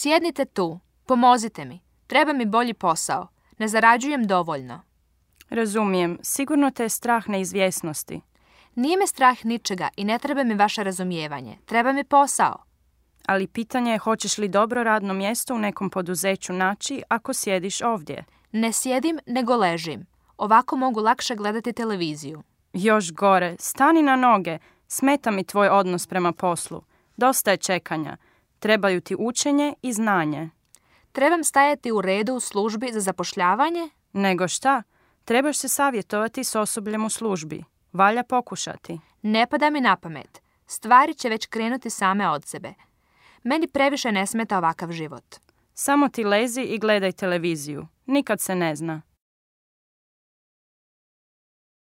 Sjednite tu, pomozite mi. Treba mi bolji posao. Ne zarađujem dovoljno. Razumijem, sigurno te je strah neizvjesnosti. Nije me strah ničega i ne treba mi vaše razumijevanje. Treba mi posao. Ali pitanje je hoćeš li dobro radno mjesto u nekom poduzeću naći ako sjediš ovdje. Ne sjedim, nego ležim. Ovako mogu lakše gledati televiziju. Još gore, stani na noge. Smeta mi tvoj odnos prema poslu. Dosta je čekanja. Trebaju ti učenje i znanje. Trebam stajati u redu u službi za zapošljavanje? Nego šta? Trebaš se savjetovati s osobljem u službi. Valja pokušati. Ne pada mi na pamet. Stvari će već krenuti same od sebe. Meni previše ne smeta ovakav život. Samo ti lezi i gledaj televiziju. Nikad se ne zna.